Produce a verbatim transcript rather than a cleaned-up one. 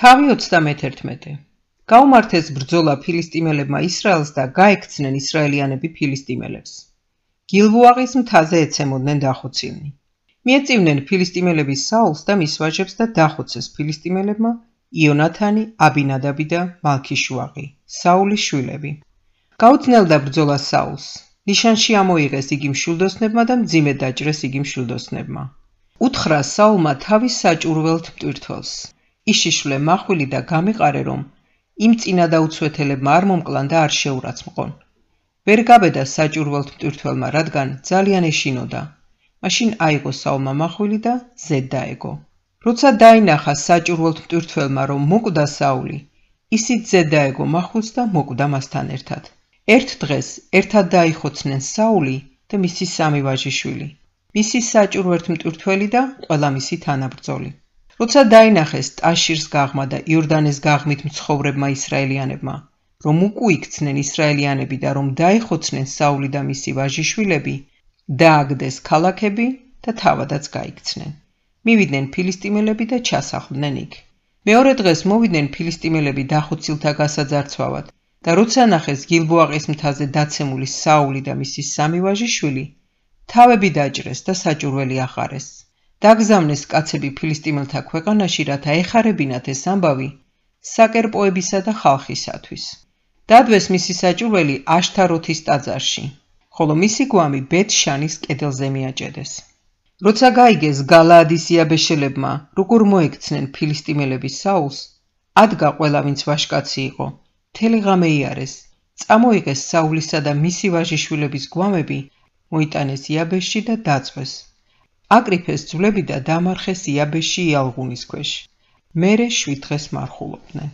თავი ოცდამეთერთმეტე. გაუმართეს ბრძოლა ფილისტიმელებმა ისრაელს და გაექცნენ ისრაელიანები ფილისტიმელებს. გილბოაღის მთაზე ეცემოდნენ დახოცილნი. მიეწივნენ ფილისტიმელები საულს და მის ვაჟებს და დახოცეს ფილისტიმელებმა იონათანი, აბინადაბი და მალქიშუაღი, საულის შვილები. გაუძნელდა ბრძოლა საულს. ნიშანში ამოიღეს იგი მშვილდოსნებმა და მძიმედ დაჭრეს იგი მშვილდოსნებმა. უთხრა საულმა თავის საჭურველთ მტვირთველს. იშიშვლე მახვილი და გამიყარე, რომ იმ წინადაუცვეთელებმა არ მომკლან და არ შეურაცმყონ. ვერ გაბედა საჭურველთ მტვირთველმა, რადგან ძალიან ეშინოდა. მაშინ აიღო საულმა მახვილი და ზედ დაეგო. როცა დაინახა საჭურველთ მტვირთველმა, რომ მოკვდა საული, ისიც ზედ დაეგო მახვილს და მოკვდა მასთან ერთად. ერთ დღეს ერთად დაიხოცნენ საული და მისი სამი ვაჟიშვილი, მისი საჭურვერთ მტვირთველი და ყველა მისი თანაბრძოლი. როცა დაინახეს ტაშირს გაღმა და იორდანეს გაღმით მცხოვრებმა ისრაელიანებმა, რომ უკუიქცნენ ისრაელიანები და რომ დაიხოცნენ საული და მისი ვაჟიშვილები, დააგდეს ქალაქები და თავადაც გაიქცნენ. მივიდნენ ფილისტიმელები და ჩასახლდნენ იქ. მეორე დღეს მოვიდნენ ფილისტიმელები დახოცილთა გასაძარცვავად და როცა ნახეს გილბოაღის მთაზე დაცემული საული და მისი სამი ვაჟიშვილი, თავები დაჭრეს და საჭურველი აღარეს. დაგზავნეს კაცები ფილისტიმელთა ქვეყანაში, რათა ეხარებინათ ეს ამბავი საკერპოებისა და ხალხისათვის. დადვეს მისი საჭურველი აშთაროთის ტაძარში, ხოლო მისი გვამი ბეთ-შანის კედელზე მიაჭედეს. როცა გაიგეს გალაადის იაბეშელებმა, როგორ მოექცნენ ფილისტიმელები საულს, ადგა ყველა ვინც ვაჟკაცი იყო, მთელი ღამე იარეს, წამოიღეს საულისა და მისი ვაჟიშვილების გვამები, მოიტანეს იაბეშში და დაწვეს. აკრიფეს ძვლები და დამარხეს იაბეშში იალღუნის ქვეშ. მერე შვიდ დღეს მარხულობდნენ.